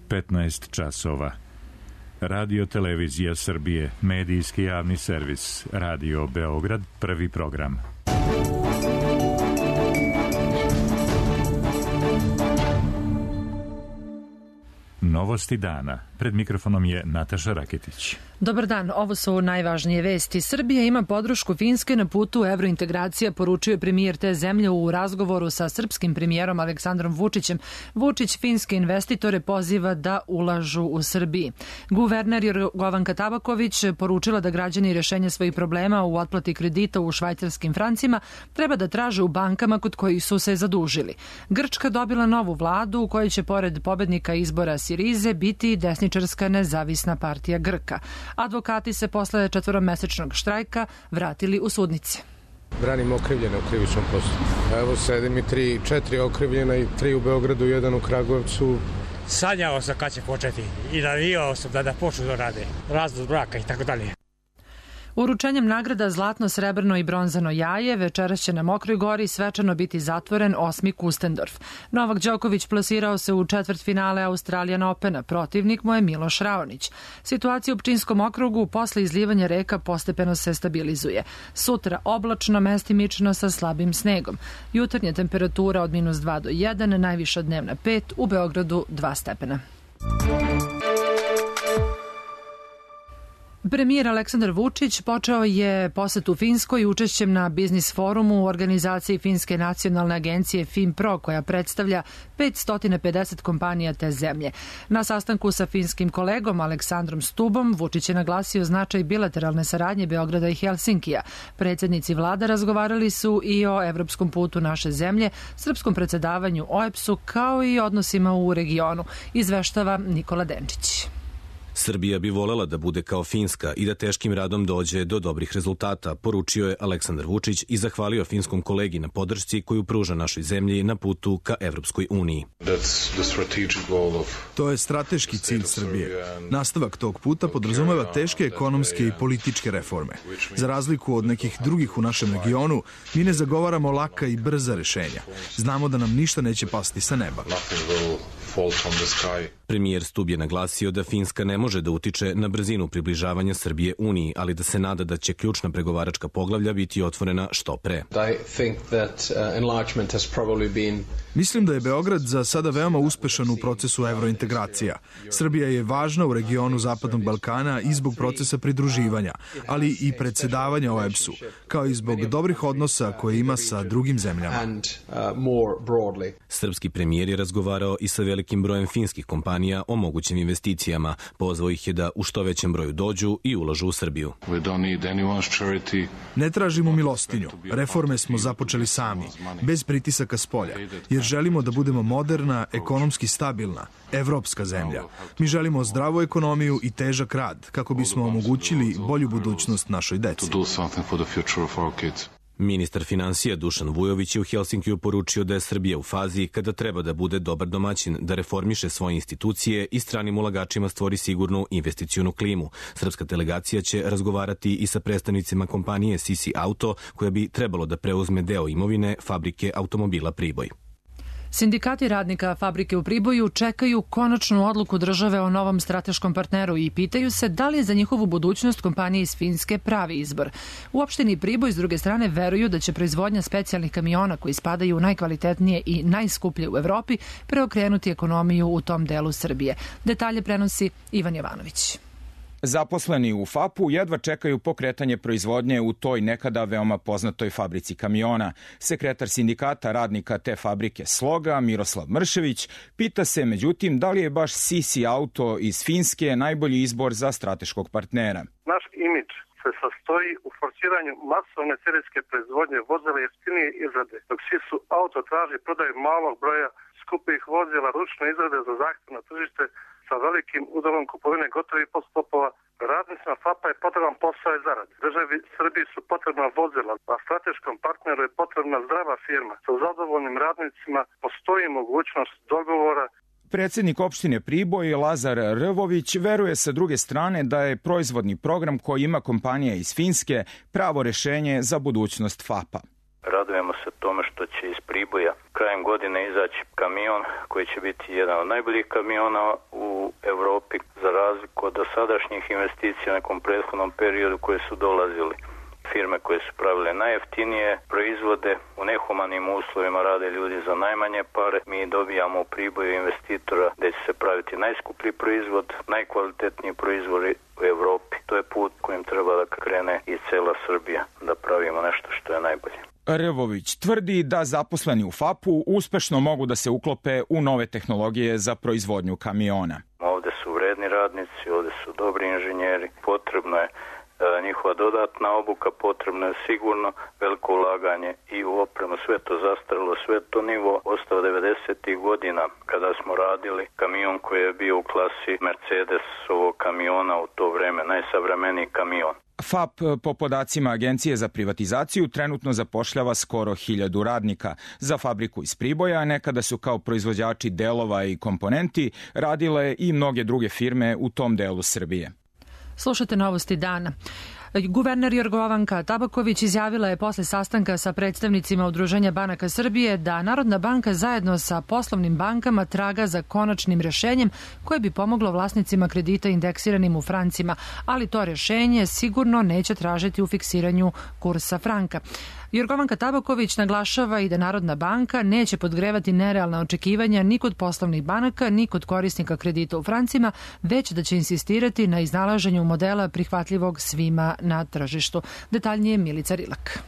15 časova. Radio Televizija Srbije, medijski javni servis, Radio Beograd, prvi program. Novosti dana. Pred mikrofonom je Nataša Raketić. Dobar dan, ovo su najvažnije vesti. Srbija ima podršku Finske na putu evrointegracija, poručio je premijer te zemlje u razgovoru sa srpskim premijerom Aleksandrom Vučićem. Vučić finske investitore poziva da ulažu u Srbiji. Guverner Jorgovanka Tabaković poručila da građani rešenje svojih problema u otplati kredita u švajcarskim francima treba da traže u bankama kod kojih su se zadužili. Grčka dobila novu vladu u kojoj će pored pobednika izbora Sirize biti desničarska nezavisna partija Grka. Advokati se posle 4-mesečnog štrajka vratili u sudnice. Branim okrivljene u krivičnom postupku. Evo sedim i 4 okrivljena i 3 u Beogradu, 1 u Kragujevcu. Sanjao sam kad će početi i navijao sam da počnu da rade. Razvod braka i tako dalje. Uručenjem nagrada Zlatno, srebrno i bronzano jaje večeras će na Mokroj Gori svečano biti zatvoren 8. Kustendorf. Novak Đoković plasirao se u četvrtfinale Australian Opena, protivnik mu je Miloš Raonić. Situacija u Pčinjskom okrugu posle izlivanja reka postepeno se stabilizuje. Sutra oblačno, mestimično sa slabim snegom. Jutarnja temperatura od -2 do 1, najviša dnevna 5, u Beogradu 2 stepena. Premijer Aleksandar Vučić počeo je posetu Finskoj učešćem na biznis forumu u organizaciji Finske nacionalne agencije FinPro, koja predstavlja 550 kompanija te zemlje. Na sastanku sa finskim kolegom Aleksandrom Stubom Vučić je naglasio značaj bilateralne saradnje Beograda i Helsinkija. Predsjednici vlada razgovarali su i o evropskom putu naše zemlje, srpskom predsedavanju OEBS-u, kao i odnosima u regionu, izveštava Nikola Denčić. Srbija bi volela da bude kao Finska i da teškim radom dođe do dobrih rezultata, poručio je Aleksandar Vučić i zahvalio finskom kolegi na podršci koju pruža našoj zemlji na putu ka Evropskoj uniji. To je strateški cilj Srbije. Nastavak tog puta podrazumeva teške ekonomske i političke reforme. Za razliku od nekih drugih u našem regionu, mi ne zagovaramo laka i brza rešenja. Znamo da nam ništa neće pasti sa neba. Premijer Stub je naglasio da Finska ne može da utiče na brzinu približavanja Srbije Uniji, ali da se nada da će ključna pregovaračka poglavlja biti otvorena što pre. Mislim da je Beograd za sada veoma uspešan u procesu evrointegracija. Srbija je važna u regionu Zapadnog Balkana i zbog procesa pridruživanja, ali i predsedavanja OEBS-u, kao i zbog dobrih odnosa koje ima sa drugim zemljama. Srpski premijer je razgovarao i sa velikim brojem finskih kompanija o mogućim investicijama. Pozvao ih je da u što većem broju dođu i ulažu u Srbiju. Ne tražimo milostinju. Reforme smo započeli sami, bez pritisaka spolja, jer želimo da budemo moderna, ekonomski stabilna, evropska zemlja. Mi želimo zdravu ekonomiju i težak rad, kako bismo omogućili bolju budućnost našoj deci. Ministar finansija Dušan Vujović je u Helsinkiju poručio da je Srbija u fazi kada treba da bude dobar domaćin, da reformiše svoje institucije i stranim ulagačima stvori sigurnu investicionu klimu. Srpska delegacija će razgovarati i sa predstavnicima kompanije Sisi Auto, koja bi trebalo da preuzme deo imovine fabrike automobila Priboj. Sindikati radnika fabrike u Priboju čekaju konačnu odluku države o novom strateškom partneru i pitaju se da li je za njihovu budućnost kompanije iz Finske pravi izbor. U opštini Priboj, s druge strane, veruju da će proizvodnja specijalnih kamiona koji spadaju u najkvalitetnije i najskuplje u Evropi preokrenuti ekonomiju u tom delu Srbije. Detalje prenosi Ivan Jovanović. Zaposleni u FAP-u jedva čekaju pokretanje proizvodnje u toj nekada veoma poznatoj fabrici kamiona. Sekretar sindikata radnika te fabrike Sloga, Miroslav Mršević, pita se međutim da li je baš Sisi Auto iz Finske najbolji izbor za strateškog partnera. Naš imidž se sastoji u forsiranju masovne serijske proizvodnje vozila jeftinije izrade, dok Sisi Auto traži prodaju malog broja skupih vozila ručne izrade za zahtevno tržište sa velikim udelom kupovine gotovih podsklopova. Radnicima FAP-a je potreban posao i zarad. Državi Srbiji su potrebna vozila, a strateškom partneru je potrebna zdrava firma. Sa zadovoljnim radnicima postoji mogućnost dogovora. Predsjednik opštine Priboj Lazar Rvović veruje sa druge strane da je proizvodni program koji ima kompanija iz Finske pravo rešenje za budućnost FAP-a. Radujemo se tome što će iz Priboja krajem godine izaći kamion koji će biti jedan od najboljih kamiona u Evropi, za razliku od dosadašnjih investicija u nekom prethodnom periodu koje su dolazili. Firme koje su pravile najjeftinije proizvode u nehumanim uslovima, rade ljudi za najmanje pare. Mi dobijamo u priboju investitora da će se praviti najskuplji proizvod, najkvalitetniji proizvodi u Evropi. To je put kojim treba da krene i cela Srbija, da pravimo nešto što je najbolje. Rvović tvrdi da zaposleni u FAP-u uspešno mogu da se uklope u nove tehnologije za proizvodnju kamiona. Ovde su vredni radnici, ovde su dobri inženjeri, potrebno je njihova dodatna obuka, potrebno je sigurno veliko ulaganje i u opremu. Sve to zastarilo, sve to nivo ostao 90. godina kada smo radili kamion koji je bio u klasi Mercedesovog kamiona u to vreme, najsavremeniji kamion. FAP po podacima Agencije za privatizaciju trenutno zapošljava skoro 1000 radnika. Za fabriku iz Priboja nekada su kao proizvođači delova i komponenti radile i mnoge druge firme u tom delu Srbije. Slušate Novosti dana. Guverner Jorgovanka Tabaković izjavila je posle sastanka sa predstavnicima Udruženja banaka Srbije da Narodna banka zajedno sa poslovnim bankama traga za konačnim rešenjem koje bi pomoglo vlasnicima kredita indeksiranim u francima, ali to rešenje sigurno neće tražiti u fiksiranju kursa franka. Jorgovanka Tabaković naglašava i da Narodna banka neće podgrevati nerealna očekivanja ni kod poslovnih banaka, ni kod korisnika kredita u francima, već da će insistirati na iznalaženju modela prihvatljivog svima na tržištu. Detaljnije Milica Rilak.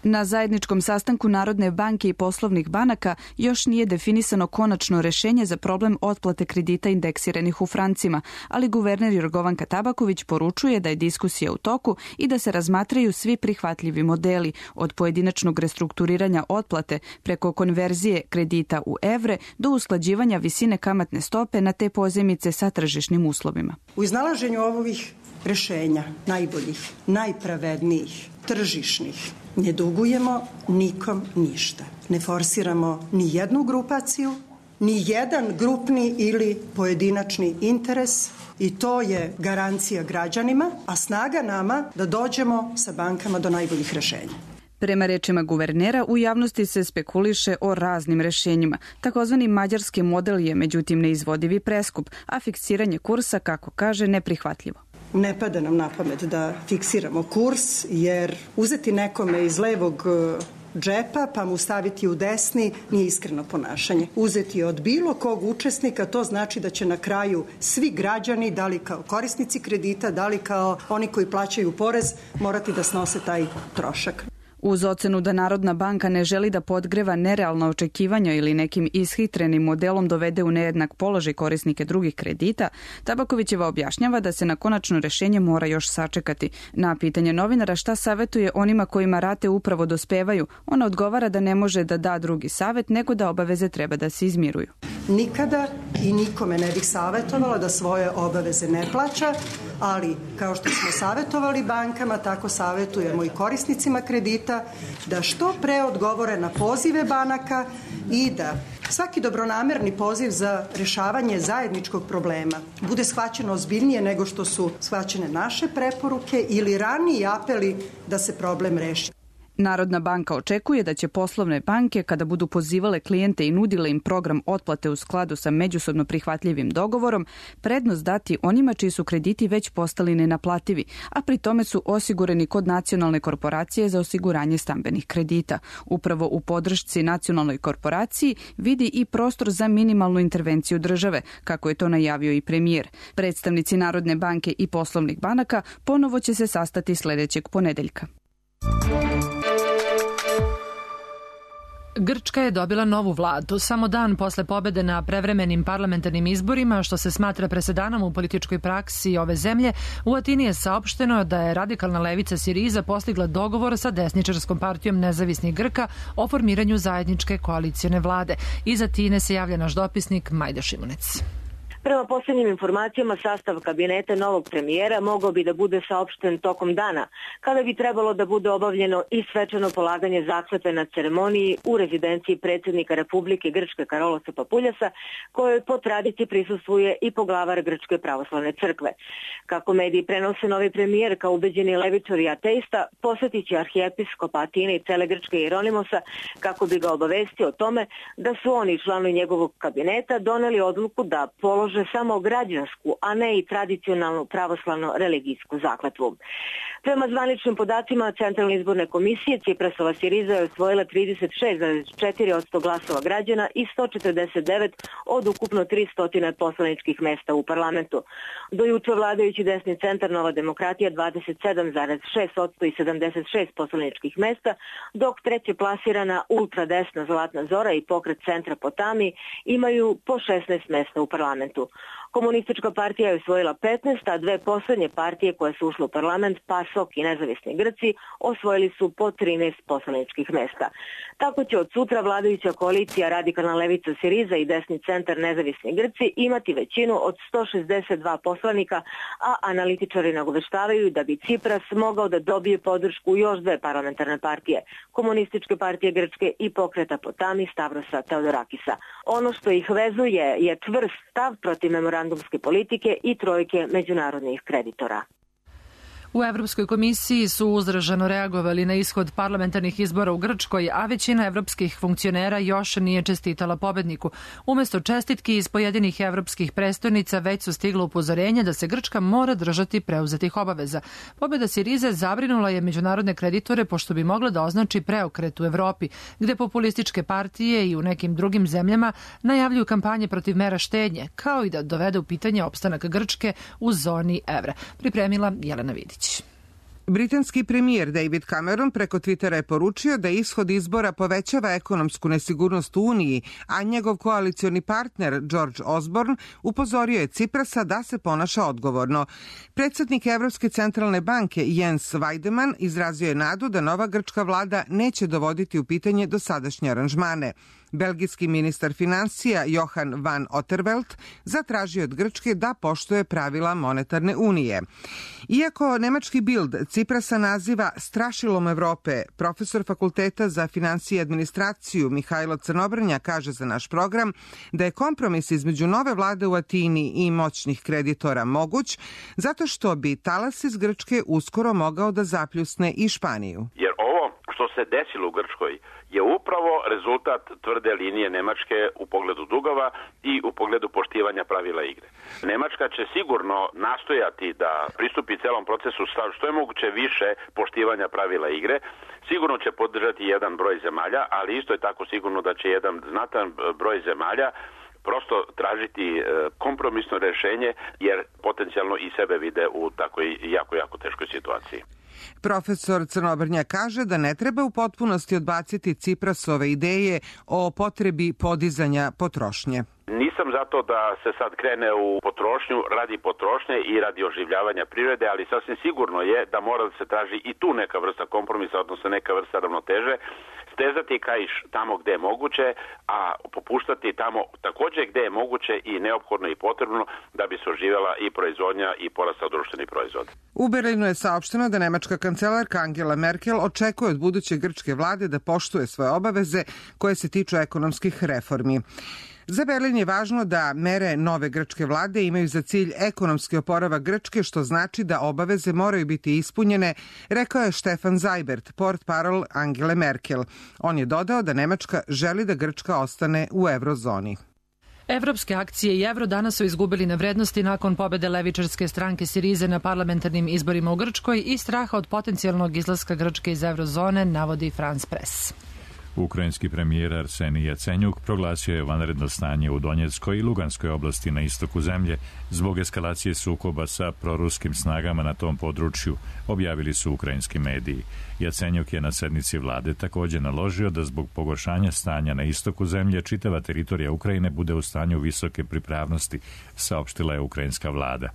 Na zajedničkom sastanku Narodne banke i poslovnih banaka još nije definisano konačno rešenje za problem otplate kredita indeksiranih u francima, ali guverner Jorgovanka Tabaković poručuje da je diskusija u toku i da se razmatraju svi prihvatljivi modeli, od pojedinačnog restrukturiranja otplate preko konverzije kredita u evre do usklađivanja visine kamatne stope na te pozajmice sa tržišnim uslovima. U iznalaženju ovih rešenja, najboljih, najpravednijih, tržišnih, ne dugujemo nikom ništa. Ne forsiramo ni jednu grupaciju, ni jedan grupni ili pojedinačni interes i to je garancija građanima, a snaga nama da dođemo sa bankama do najboljih rešenja. Prema rečima guvernera, u javnosti se spekuliše o raznim rešenjima. Takozvani mađarski model je međutim neizvodiv i preskup, a fiksiranje kursa, kako kaže, neprihvatljivo. Ne pada nam na pamet da fiksiramo kurs, jer uzeti nekome iz levog džepa pa mu staviti u desni nije iskreno ponašanje. Uzeti od bilo kog učesnika, to znači da će na kraju svi građani, da li kao korisnici kredita, da li kao oni koji plaćaju porez, morati da snose taj trošak. Uz ocenu da Narodna banka ne želi da podgreva nerealna očekivanja ili nekim ishitrenim modelom dovede u nejednak položaj korisnike drugih kredita, Tabakovićeva objašnjava da se na konačno rešenje mora još sačekati. Na pitanje novinara šta savetuje onima kojima rate upravo dospevaju, ona odgovara da ne može da da drugi savet, nego da obaveze treba da se izmiruju. Nikada i nikome ne bih savjetovala da svoje obaveze ne plaća, ali kao što smo savjetovali bankama, tako savjetujemo i korisnicima kredita da što pre odgovore na pozive banaka i da svaki dobronamerni poziv za rešavanje zajedničkog problema bude shvaćeno ozbiljnije nego što su shvaćene naše preporuke ili raniji apeli da se problem reši. Narodna banka očekuje da će poslovne banke, kada budu pozivale klijente i nudile im program otplate u skladu sa međusobno prihvatljivim dogovorom, prednost dati onima čiji su krediti već postali nenaplativi, a pri tome su osigurani kod Nacionalne korporacije za osiguranje stambenih kredita. Upravo u podršci Nacionalnoj korporaciji vidi i prostor za minimalnu intervenciju države, kako je to najavio i premijer. Predstavnici Narodne banke i poslovnih banaka ponovo će se sastati sledećeg ponedeljka. Grčka je dobila novu vladu samo dan posle pobede na prevremenim parlamentarnim izborima, što se smatra presedanom u političkoj praksi ove zemlje. U Atini je saopšteno da je radikalna levica Siriza postigla dogovor sa desničarskom partijom nezavisnih Grka o formiranju zajedničke koalicione vlade. Iz Atine se javlja naš dopisnik Majda Šimunec. Prema posljednjim informacijama, sastav kabineta novog premijera mogao bi da bude saopšten tokom dana, kada bi trebalo da bude obavljeno i svečano polaganje zakletve na ceremoniji u rezidenciji predsjednika Republike Grčke Karolosa Papuljasa, kojoj po tradiciji prisustvuje i poglavar Grčke pravoslavne crkve. Kako mediji prenose, novi premijer kao ubeđeni levičar i ateista posjetit će arhijepiskop Atine i cele Grčke Jeronimosa kako bi ga obavestio o tome da su oni članovi njegovog kabineta doneli odluku da polože polože samo građansku, a ne i tradicionalnu pravoslavno-religijsku zakletvu. Prema zvaničnim podacima Centralne izborne komisije, Ciprasova Siriza je osvojila 36,4% glasova građana i 149 od ukupno 300 poslaničkih mesta u parlamentu. Do juče vladajući desni centar Nova demokratija 27,6% i 76 poslaničkih mesta, dok treće plasirana ultradesna Zlatna Zora i pokret centra Potami imaju po 16 mesta u parlamentu. Komunistička partija je osvojila 15, a dve poslednje partije koje su ušle u parlament, PASOK i Nezavisni Grci, osvojili su po 13 poslaničkih mesta. Tako će od sutra vladajuća koalicija Radikalna levica Siriza i desni centar Nezavisni Grci imati većinu od 162 poslanika, a analitičari nagoveštavaju da bi Cipras mogao da dobije podršku još dve parlamentarne partije, Komunističke partije Grčke i pokreta Potami Stavrosa Teodorakisa. Ono što ih vezuje je čvrst stav protiv memorandumske politike i trojke međunarodnih kreditora. U Evropskoj komisiji su uzraženo reagovali na ishod parlamentarnih izbora u Grčkoj, a većina evropskih funkcionera još nije čestitala pobedniku. Umesto čestitki iz pojedinih evropskih prestolnica već su stigla upozorenja da se Grčka mora držati preuzetih obaveza. Pobeda Sirize zabrinula je međunarodne kreditore pošto bi mogla da označi preokret u Evropi, gde populističke partije i u nekim drugim zemljama najavljuju kampanje protiv mera štednje, kao i da dovede u pitanje opstanak Grčke u zoni evra. Pripremila Jelena Vidić. Britanski premijer David Cameron preko Twittera je poručio da ishod izbora povećava ekonomsku nesigurnost u Uniji, a njegov koalicioni partner George Osborne upozorio je Ciprasa da se ponaša odgovorno. Predsjednik Evropske centralne banke Jens Weidemann izrazio je nadu da nova grčka vlada neće dovoditi u pitanje dosadašnje aranžmane. Belgijski ministar financija Johan van Otterveld zatražio od Grčke da poštuje pravila monetarne unije. Iako nemački Bild Ciprasa naziva strašilom Evrope, profesor Fakulteta za financije i administraciju Mihajlo Crnobrnja kaže za naš program da je kompromis između nove vlade u Atini i moćnih kreditora moguć, zato što bi talas iz Grčke uskoro mogao da zapljusne i Španiju. Jer ovo što se desilo u Grčkoj je upravo rezultat tvrde linije Nemačke u pogledu dugova i u pogledu poštivanja pravila igre. Nemačka će sigurno nastojati da pristupi celom procesu sa što je moguće više poštivanja pravila igre. Sigurno će podržati jedan broj zemalja, ali isto je tako sigurno da će jedan znatan broj zemalja prosto tražiti kompromisno rešenje, jer potencijalno i sebe vide u takvoj jako teškoj situaciji. Profesor Crnobrnja kaže da ne treba u potpunosti odbaciti Ciprasove ideje o potrebi podizanja potrošnje. Nisam zato da se sad krene u potrošnju radi potrošnje i radi oživljavanja privrede, ali sasvim sigurno je da mora da se traži i tu neka vrsta kompromisa, odnosno neka vrsta ravnoteže, stezati kaiš tamo gde je moguće, a popuštati tamo takođe gde je moguće i neophodno i potrebno da bi se oživjela i proizvodnja i porastao društveni proizvod. U Berlinu je saopšteno da nemačka kancelarka Angela Merkel očekuje od buduće grčke vlade da poštuje svoje obaveze koje se tiču ekonomskih reformi. Za Berlin je važno da mere nove grčke vlade imaju za cilj ekonomski oporavak Grčke, što znači da obaveze moraju biti ispunjene, rekao je Stefan Seibert, portparol Angele Merkel. On je dodao da Nemačka želi da Grčka ostane u eurozoni. Evropske akcije i evro danas su izgubili na vrednosti nakon pobede levičarske stranke Sirize na parlamentarnim izborima u Grčkoj i straha od potencijalnog izlaska Grčke iz eurozone, navodi France Press. Ukrajinski premijer Arsenij Jacenjuk proglasio je vanredno stanje u Donjeckoj i Luganskoj oblasti na istoku zemlje zbog eskalacije sukoba sa proruskim snagama na tom području, objavili su ukrajinski mediji. Jacenjuk je na sednici vlade također naložio da zbog pogoršanja stanja na istoku zemlje čitava teritorija Ukrajine bude u stanju visoke pripravnosti, saopštila je ukrajinska vlada.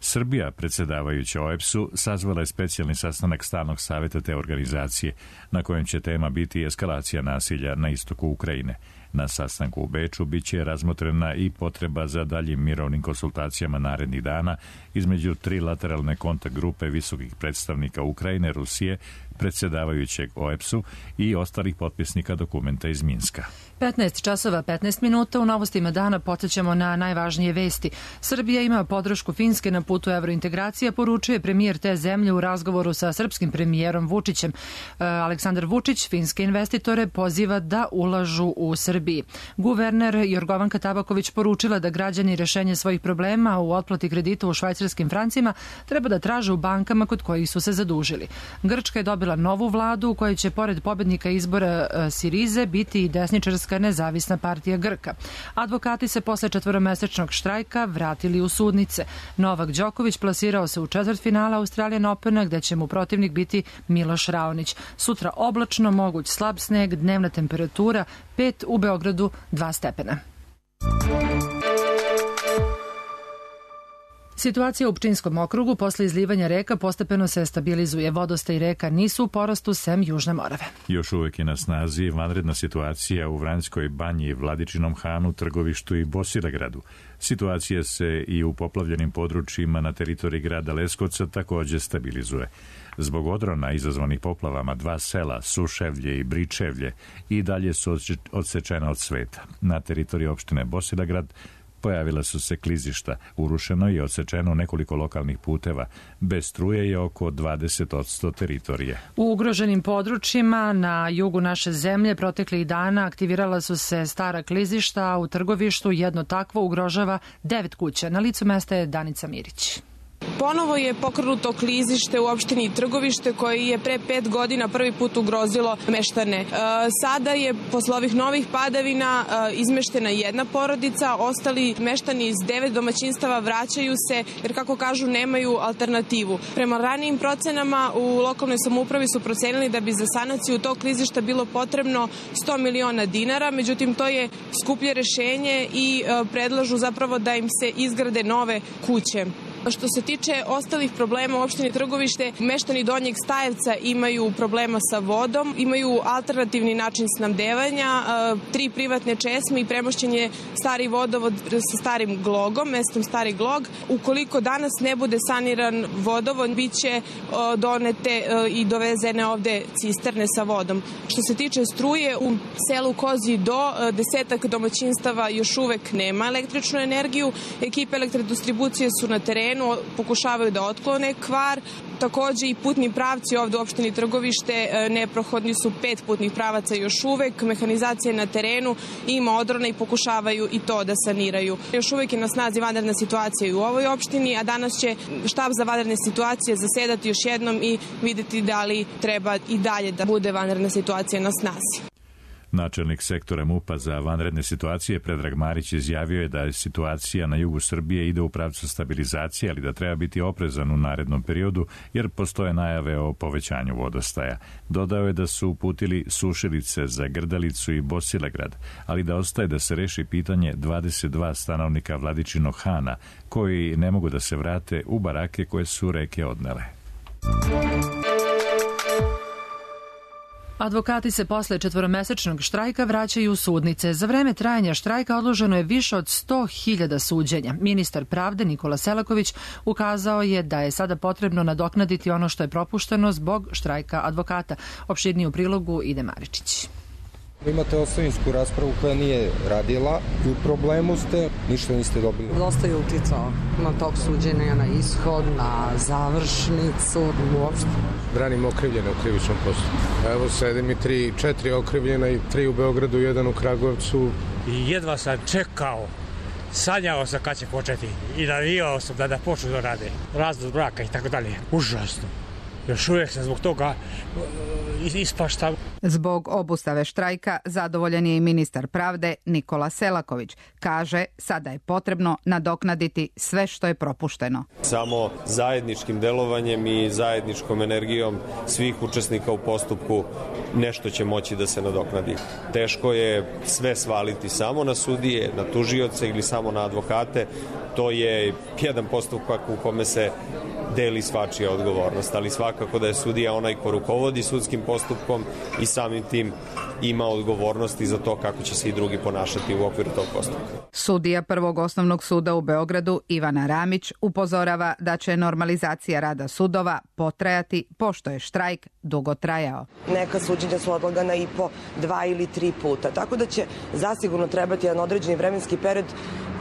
Srbija, predsjedavajuća OEBS-u, sazvala je specijalni sastanak stalnog savjeta te organizacije, na kojem će tema biti eskalacija nasilja na istoku Ukrajine. Na sastanku u Beču biće razmotrena i potreba za daljim mirovnim konsultacijama narednih dana između trilateralne kontakt grupe visokih predstavnika Ukrajine, Rusije, predsjedavajućeg OEBS-u i ostalih potpisnika dokumenta iz Minska. 15 časova 15 minuta u novostima dana podsjećamo na najvažnije vesti. Srbija ima podršku Finske na putu evrointegracije, poručuje premijer te zemlje u razgovoru sa srpskim premijerom Vučićem. Aleksandar Vučić finske investitore poziva da ulažu u Srbiju. Srbiji. Guverner Jorgovanka Tabaković poručila da građani rešenje svojih problema u otplati kredita u švajcarskim francima treba da traže u bankama kod kojih su se zadužili. Grčka je dobila novu vladu u kojoj će pored pobednika izbora Sirize biti i desničarska nezavisna partija Grka. Advokati se posle 4-mesečnog štrajka vratili u sudnice. Novak Đoković plasirao se u četvrtfinala Australian Opena gde će mu protivnik biti Miloš Raonić. Sutra oblačno, moguć slab sneg, dnevna temperatura 5, u Beogradu 2 stepena. Situacija u Pčinjskom okrugu posle izlivanja reka postepeno se stabilizuje. Vodostaj reka nisu u porastu sem Južne Morave. Još uvek je na snazi vanredna situacija u Vranjskoj banji, Vladičinom Hanu, Trgovištu i Bosilegradu. Situacija se i u poplavljenim područjima na teritoriji grada Leskovca takođe stabilizuje. Zbog odrona izazvanih poplavama 2 sela, Suševlje i Bričevlje, i dalje su odsečena od sveta. Na teritoriji opštine Bosilegrad pojavila su se klizišta, urušeno i odsečeno nekoliko lokalnih puteva. Bez struje je oko 20% teritorije. U ugroženim područjima na jugu naše zemlje proteklih dana aktivirala su se stara klizišta, a u Trgovištu jedno takvo ugrožava 9 kuća. Na licu mesta je Danica Mirić. Ponovo je pokrenuto klizište u opštini Trgovište koje je pre 5 godina prvi put ugrozilo meštane. Sada je posle ovih novih padavina izmeštena jedna porodica, ostali meštani iz 9 domaćinstava vraćaju se jer, kako kažu, nemaju alternativu. Prema ranijim procenama u lokalnoj samoupravi su procenili da bi za sanaciju tog klizišta bilo potrebno 100 miliona dinara, međutim to je skuplje rešenje i predlažu zapravo da im se izgrade nove kuće. Što se tiče ostalih problema u opštini Trgovište, meštani Donjeg Stajevca imaju problema sa vodom, imaju alternativni način snabdevanja, 3 privatne česme i premošćen je stari vodovod sa starim glogom, mestom Stari Glog. Ukoliko danas ne bude saniran vodovod, bit će donete i dovezene ovde cisterne sa vodom. Što se tiče struje, u selu Kozji Do 10 domaćinstava još uvek nema električnu energiju. Ekipe elektrodistribucije su na terenu, pokušavaju da otklone kvar. Takođe i putni pravci ovde u opštini Trgovište neprohodni su 5 putnih pravaca još uvek. Mehanizacija je na terenu, ima odrona i pokušavaju i to da saniraju. Još uvek je na snazi vanredna situacija i u ovoj opštini, a danas će štab za vanredne situacije zasedati još jednom i videti da li treba i dalje da bude vanredna situacija na snazi. Načelnik sektora MUP-a za vanredne situacije Predrag Marić izjavio je da situacija na jugu Srbije ide u pravcu stabilizacije, ali da treba biti oprezan u narednom periodu jer postoje najave o povećanju vodostaja. Dodao je da su uputili sušilice za Grdelicu i Bosilegrad, ali da ostaje da se reši pitanje 22 stanovnika Vladičinog Hana koji ne mogu da se vrate u barake koje su reke odnele. Advokati se posle 4-mesečnog štrajka vraćaju u sudnice. Za vreme trajanja štrajka odloženo je više od 100.000 suđenja. Ministar pravde Nikola Selaković ukazao je da je sada potrebno nadoknaditi ono što je propušteno zbog štrajka advokata. Opširnije u prilogu Ide Maričić. Imate ostavinsku raspravu koja nije radila i u problemu ste, ništa niste dobili. Dosta je uticao na tog suđenja, na ishod, na završnicu, uopšte. Branim okrivljene u krivičnom postupku. Evo sedim i 4 okrivljena i 3 u Beogradu, 1 u Kragujevcu. I jedva sam čekao, sanjao sam kad će početi i navijao sam da počnu da rade. Razvod braka i tako dalje. Užasno. Još uvijek sam zbog toga ispaštam. Zbog obustave štrajka zadovoljan je i ministar pravde Nikola Selaković. Kaže, sada je potrebno nadoknaditi sve što je propušteno. Samo zajedničkim delovanjem i zajedničkom energijom svih učesnika u postupku nešto će moći da se nadoknadi. Teško je sve svaliti samo na sudije, na tužioce ili samo na advokate. To je jedan postupak u kome se deli svačija odgovornost, ali svakako da je sudija onaj ko rukovodi sudskim postupkom i samim tim ima odgovornosti za to kako će se i drugi ponašati u okviru tog postupka. Sudija Prvog osnovnog suda u Beogradu Ivana Ramić upozorava da će normalizacija rada sudova potrajati pošto je štrajk dugo trajao. Neka suđenja su odlagana i po 2 ili 3 puta, tako da će zasigurno trebati jedan određeni vremenski period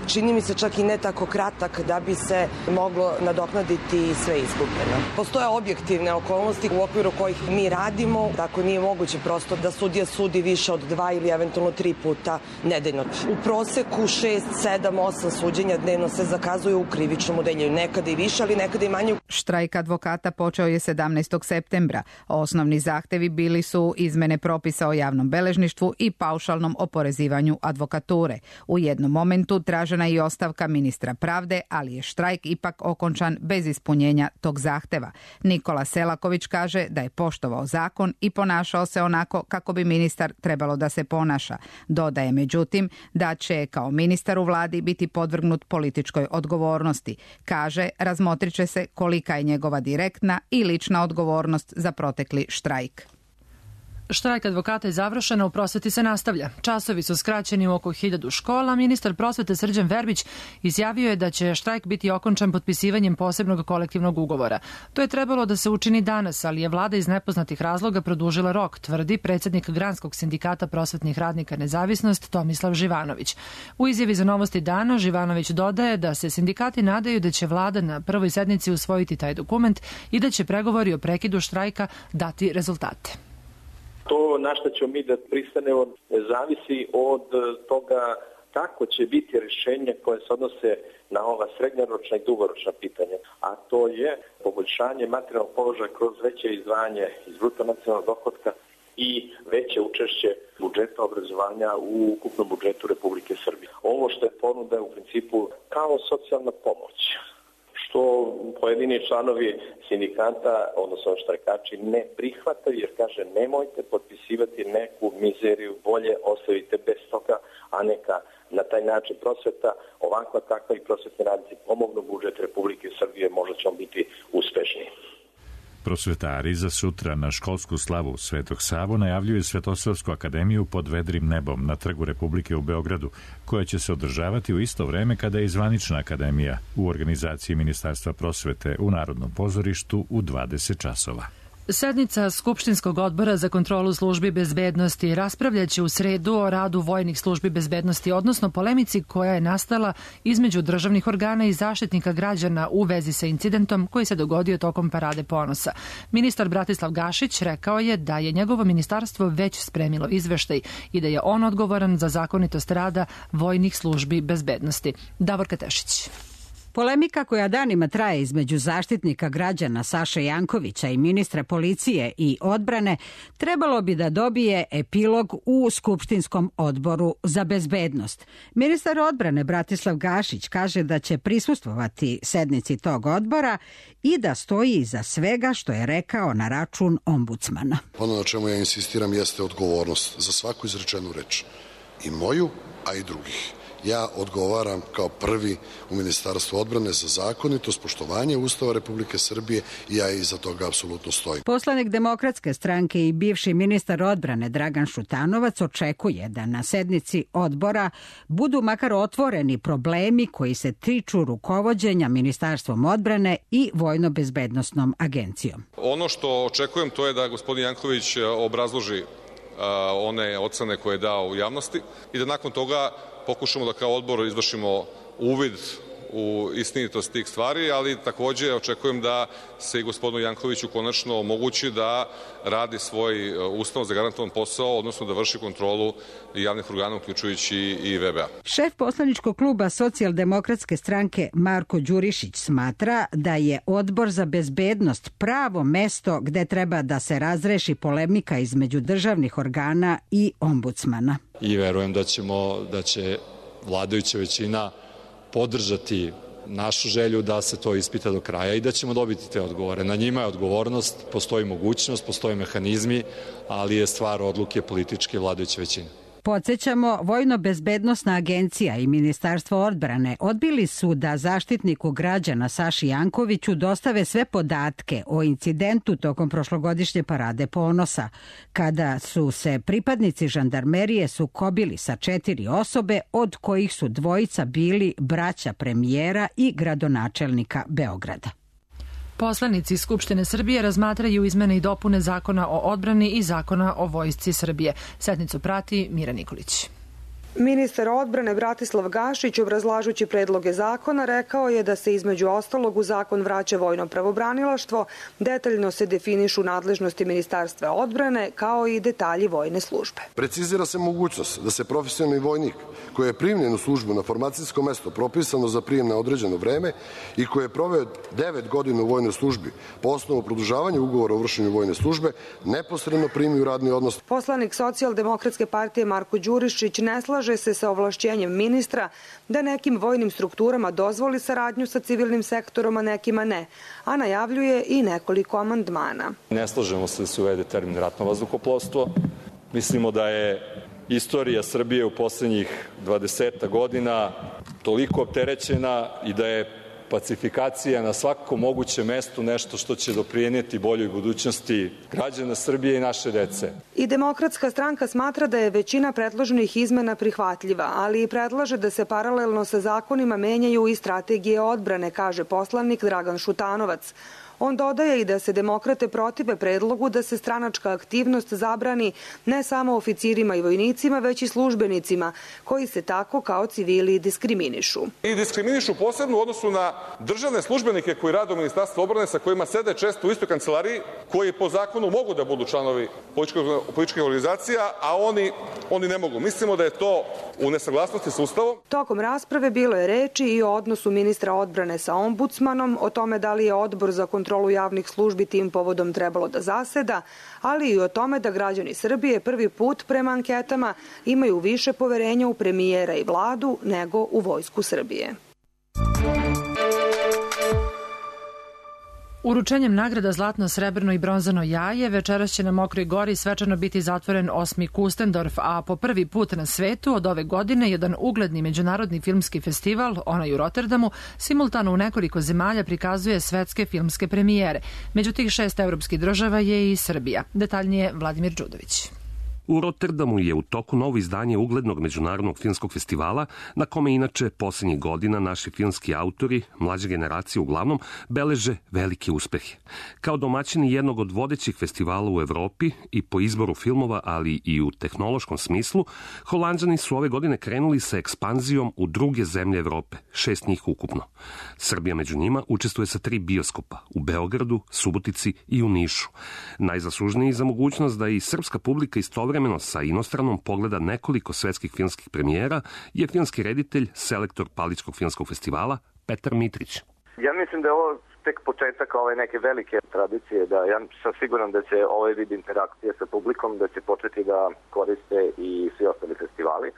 čini mi se čak i ne tako kratak da bi se moglo nadoknaditi sve izgubljeno. Postoje objektivne okolnosti u okviru kojih mi radimo, tako nije moguće prosto da sudija sudi više od 2 ili eventualno 3 puta nedeljno. U proseku 6, 7, 8 suđenja dnevno se zakazuje u krivičnom odeljenju, nekada i više, ali nekada i manje. Štrajk advokata počeo je 17. septembra. Osnovni zahtevi bili su izmene propisa o javnom beležništvu i paušalnom oporezivanju advokature. U jednom momentu tražena je i ostavka ministra pravde, ali je štrajk ipak okončan bez ispunjenja tog zahteva. Nikola Selaković kaže da je poštovao zakon i ponašao se onako kako bi ministar trebalo da se ponaša. Dodaje međutim da će kao ministar u vladi biti podvrgnut političkoj odgovornosti. Kaže, razmotrit će se kolika je njegova direktna i lična odgovornost za protekli štrajk. Štrajk advokata je završen, a u prosveti se nastavlja. Časovi su skraćeni u oko 1000 škola. Ministar prosvete Srđan Verbić izjavio je da će štrajk biti okončan potpisivanjem posebnog kolektivnog ugovora. To je trebalo da se učini danas, ali je vlada iz nepoznatih razloga produžila rok, tvrdi predsjednik Granskog sindikata prosvetnih radnika Nezavisnost Tomislav Živanović. U izjavi za Novosti dana Živanović dodaje da se sindikati nadaju da će vlada na prvoj sednici usvojiti taj dokument i da će pregovori o prekidu štrajka dati rezultate. To na što ćemo mi da pristanemo zavisi od toga kako će biti rješenje koje se odnose na ova srednjoročna i dugoročna pitanja, a to je poboljšanje materijalnog položaja kroz veće izdvajanje iz bruto nacionalnog dohotka i veće učešće budžeta obrazovanja u ukupnom budžetu Republike Srbije. Ovo što je ponuda je u principu kao socijalna pomoć, što pojedini članovi sindikata, odnosno štrajkači, ne prihvataju jer kaže nemojte potpisivati neku mizeriju, bolje ostavite bez toga, a neka na taj način prosveta, ovakva takva i prosvetni radnici pomognu budžet Republike Srbije, možda ćemo biti uspešniji. Prosvetari za sutra na školsku slavu Svetog Savu najavljuju Svetosavsku akademiju pod vedrim nebom na Trgu Republike u Beogradu, koja će se održavati u isto vreme kada je i zvanična akademija u organizaciji Ministarstva prosvete u Narodnom pozorištu u 20 časova. Sednica Skupštinskog odbora za kontrolu službi bezbednosti raspravljaće u sredu o radu vojnih službi bezbednosti, odnosno polemici koja je nastala između državnih organa i zaštitnika građana u vezi sa incidentom koji se dogodio tokom Parade ponosa. Ministar Bratislav Gašić rekao je da je njegovo ministarstvo već spremilo izveštaj i da je on odgovoran za zakonitost rada vojnih službi bezbednosti. Davorka Tešić. Polemika koja danima traje između zaštitnika građana Saše Jankovića i ministra policije i odbrane trebalo bi da dobije epilog u Skupštinskom odboru za bezbednost. Ministar odbrane Bratislav Gašić kaže da će prisustvovati sednici tog odbora i da stoji iza svega što je rekao na račun ombudsmana. Ono na čemu ja insistiram jeste odgovornost za svaku izrečenu reč. I moju, a i drugih. Ja odgovaram kao prvi u Ministarstvu odbrane za zakonitost, poštovanje Ustava Republike Srbije i ja iza toga apsolutno stojim. Poslanik Demokratske stranke i bivši ministar odbrane Dragan Šutanovac očekuje da na sednici odbora budu makar otvoreni problemi koji se tiču rukovođenja Ministarstvom odbrane i Vojno-bezbednosnom agencijom. Ono što očekujem to je da gospodin Janković obrazloži one ocene koje je dao u javnosti i da nakon toga pokušamo da kao odbor izvršimo uvid u istinitost tih stvari, ali takođe očekujem da se i gospodinu Jankoviću konačno omogući da radi svoj ustavno zagarantovan posao, odnosno da vrši kontrolu javnih organa, uključujući i VBA. Šef poslaničkog kluba Socijaldemokratske stranke Marko Đurišić smatra da je Odbor za bezbednost pravo mesto gde treba da se razreši polemika između državnih organa i ombudsmana. I verujem da će vladajuća većina podržati našu želju da se to ispita do kraja i da ćemo dobiti te odgovore. Na njima je odgovornost, postoji mogućnost, postoje mehanizmi, ali je stvar odluke političke vladajuće većine. Podsjećamo, Vojno-bezbednosna agencija i Ministarstvo odbrane odbili su da zaštitniku građana Saši Jankoviću dostave sve podatke o incidentu tokom prošlogodišnje Parade ponosa, kada su se pripadnici žandarmerije sukobili sa 4 osobe, od kojih su 2 bili braća premijera i gradonačelnika Beograda. Poslanici Skupštine Srbije razmatraju izmene i dopune Zakona o odbrani i Zakona o vojsci Srbije. Sednicu prati Mira Nikolić. Ministar odbrane Bratislav Gašić, obrazlažući predloge zakona, rekao je da se između ostalog u zakon vraća vojno pravobranilaštvo, detaljno se definišu nadležnosti Ministarstva odbrane, kao i detalji vojne službe. Precizira se mogućnost da se profesionalni vojnik koji je primljen u službu na formacijsko mesto propisano za prijem na određeno vreme i koji je proveo 9 godina u vojnoj službi po osnovu produžavanja ugovora o vršenju vojne službe neposredno primi u radni odnos. Poslanik Socijaldemokratske partije Marko Đurišić ne slaže se sa ovlašćenjem ministra da nekim vojnim strukturama dozvoli saradnju sa civilnim sektorom, a nekima ne, a najavljuje i nekoliko amandmana. Ne slažemo se da se uvede termin ratno vazduhoplovstvo. Mislimo da je istorija Srbije u poslednjih 20 godina toliko opterećena i da je pacifikacija na svakom mogućem mestu nešto što će doprinijeti boljoj budućnosti građana Srbije i naše dece. I Demokratska stranka smatra da je većina predloženih izmena prihvatljiva, ali i predlaže da se paralelno sa zakonima menjaju i strategije odbrane, kaže poslanik Dragan Šutanovac. On dodaje i da se demokrate protive predlogu da se stranačka aktivnost zabrani ne samo oficirima i vojnicima, već i službenicima, koji se tako kao civili diskriminišu. I diskriminišu posebno u odnosu na državne službenike koji rade u Ministarstvu odbrane, sa kojima sede često u istoj kancelariji, koji po zakonu mogu da budu članovi političkih organizacija, a oni ne mogu. Mislimo da je to u nesaglasnosti sa Ustavom. Tokom rasprave bilo je reči i o odnosu ministra odbrane sa ombudsmanom, o tome da li je odbor za kontrolu javnih službi tim povodom trebalo da zaseda, ali i o tome da građani Srbije prvi put prema anketama imaju više poverenja u premijera i vladu nego u Vojsku Srbije. Uručenjem nagrada Zlatno, srebrno i bronzano jaje večeras će na Mokroj Gori svečano biti zatvoren 8. Kustendorf, a po prvi put na svetu od ove godine jedan ugledni međunarodni filmski festival, onaj u Rotterdamu, simultano u nekoliko zemalja prikazuje svetske filmske premijere. Među tih 6 evropskih država je i Srbija. Detaljnije Vladimir Đudović. U Rotterdamu je u toku novo izdanje uglednog međunarodnog filmskog festivala, na kome inače posljednjih godina naši filmski autori, mlađe generacije uglavnom, beleže velike uspehe. Kao domaćini jednog od vodećih festivala u Evropi i po izboru filmova, ali i u tehnološkom smislu, Holanđani su ove godine krenuli sa ekspanzijom u druge zemlje Evrope, 6 njih ukupno. Srbija među njima učestvuje sa 3 bioskopa, u Beogradu, Subotici i u Nišu. Najzaslužniji za mogućnost da i srpska publika istovremeno sa inostranom pogleda nekoliko svetskih filmskih premijera je filmski reditelj, selektor Paličkog filmskog festivala Petar Mitrić. Ja mislim da je ovo tek početak ove neke velike tradicije, da ja sam siguran da će ovaj vid interakcije sa publikom da će početi da koriste i svi ostali festivali,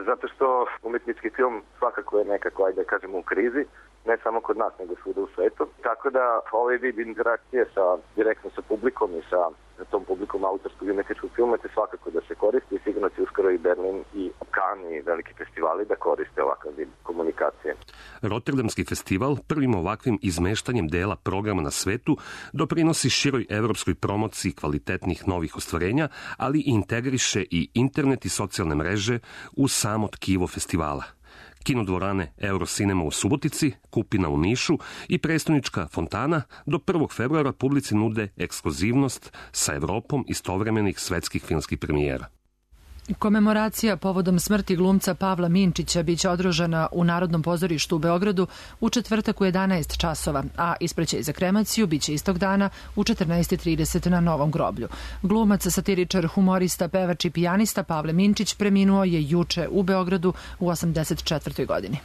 zato što umetnički film svakako je nekako, ajde da kažemo, u krizi, ne samo kod nas, nego svuda u svetu. Tako da ovaj vid interakcije direktno sa publikom i sa tom publikom autorskog i umetničkog filma će svakako da se koristi i sigurno će uskoro i Berlin i Cannes i veliki festivali da koriste ovakav vid komunikacije. Rotterdamski festival prvim ovakvim izmeštanjem dela programa na svetu doprinosi široj evropskoj promociji kvalitetnih novih ostvarenja, ali i integriše i internet i socijalne mreže u samo tkivo festivala. Kinodvorane Eurocinema u Subotici, Kupina u Nišu i prestonička Fontana do 1. februara publici nude ekskluzivnost sa Evropom istovremenih svetskih filmskih premijera. Komemoracija povodom smrti glumca Pavla Minčića biće održana u Narodnom pozorištu u Beogradu u četvrtak u 11 časova, a ispraćaj za kremaciju biće istog dana u 14:30 na Novom groblju. Glumac, satiričar, humorista, pevač i pijanista Pavle Minčić preminuo je juče u Beogradu u 84. godini.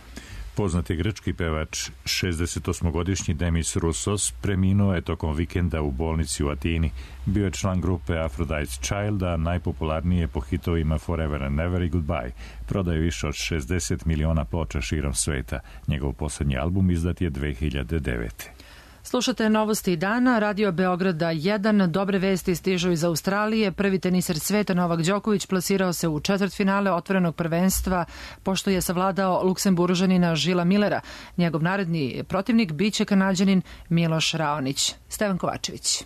Poznati grčki pevač, 68-godišnji Demis Roussos, preminuo je tokom vikenda u bolnici u Atini. Bio je član grupe Aphrodite's Child, a najpopularnije po hitovima Forever and Never i Goodbye. Prodao više od 60 miliona ploča širom sveta. Njegov poslednji album izdat je 2009. Slušate novosti dana, Radio Beograda 1. Dobre vesti stižu iz Australije. Prvi teniser sveta Novak Đoković plasirao se u četvrtfinale otvorenog prvenstva pošto je savladao Luksemburžanina Žila Millera. Njegov naredni protivnik biće Kanađanin Miloš Raonić. Stevan Kovačević.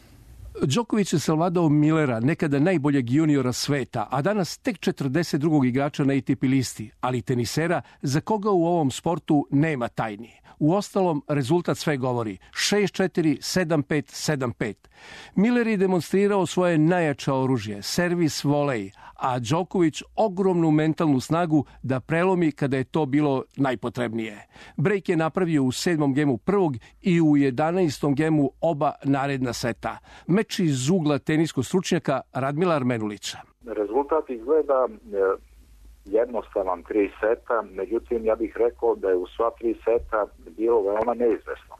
Đoković je savladao Millera, nekada najboljeg juniora sveta, a danas tek 42. igrača na ATP listi, ali tenisera za koga u ovom sportu nema tajni. Uostalom, rezultat sve govori 6-4, 7-5, 7-5. Miller je demonstrirao svoje najjače oružje, servis volej, a Đoković ogromnu mentalnu snagu da prelomi kada je to bilo najpotrebnije. Break je napravio u 7. gemu prvog i u 11. gemu oba naredna seta. Meč iz ugla teniskog stručnjaka Radmila Armenulića. Rezultat izgleda jednostavan 3 seta, međutim ja bih rekao da je u sva 3 seta bilo veoma neizvesno.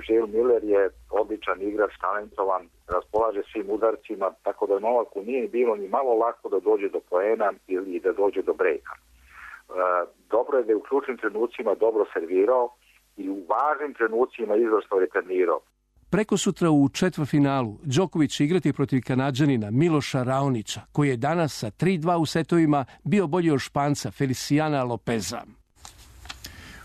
Gilles Miller je odličan igrač, talentovan, raspolaže svim udarcima, tako da Novaku nije bilo ni malo lako da dođe do poena ili da dođe do brejka. Dobro je da je u ključnim trenucima dobro servirao i u važnim trenucima izvrsno returnirao. Preko sutra u četvrtfinalu Đoković će igrati protiv Kanađanina Miloša Raonića, koji je danas sa 3-2 u setovima bio bolji od Španca Feliciana Lopeza.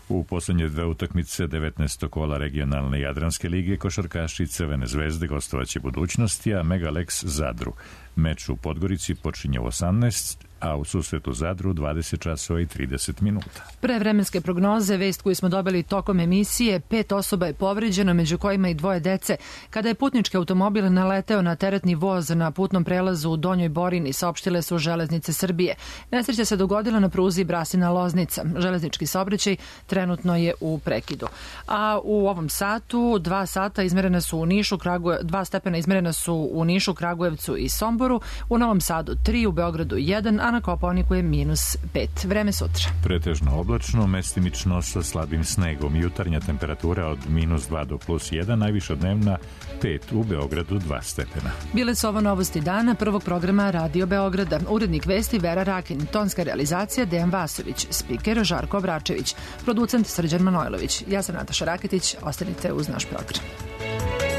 U poslednje 2 utakmice 19. kola regionalne Jadranske lige košarkaši Crvene zvezde gostovaće Budućnosti, a Megalex Zadru. Meč u Podgorici počinje u 18, a u susretu Zadru 20 časova i 30 minuta. Pre vremenske prognoze, vest koju smo dobili tokom emisije, 5 osoba je povređeno, među kojima i 2 dece, kada je putnički automobil naleteo na teretni voz na putnom prelazu u Donjoj Borini, saopštile su Železnice Srbije. Nesreća se dogodila na pruzi Brasina-Loznica. Železnički saobraćaj trenutno je u prekidu. A u ovom satu 2 stepena izmerena su u Nišu, Kragujevcu i Somboru, u Novom Sadu 3, u Beogradu 1, a na Kopaoniku je -5. Vreme sutra. Pretežno oblačno, mestimično sa slabim snegom. Jutarnja temperatura od -2 do +1, najviša dnevna 5, u Beogradu 2 stepena. Bile su ovo novosti dana prvog programa Radio Beograda. Urednik vesti Vera Rakin, tonska realizacija Dejan Vasović, spiker Žarko Obračević, producent Srđan Manojlović. Ja sam Nataša Raketić, ostanite uz naš program.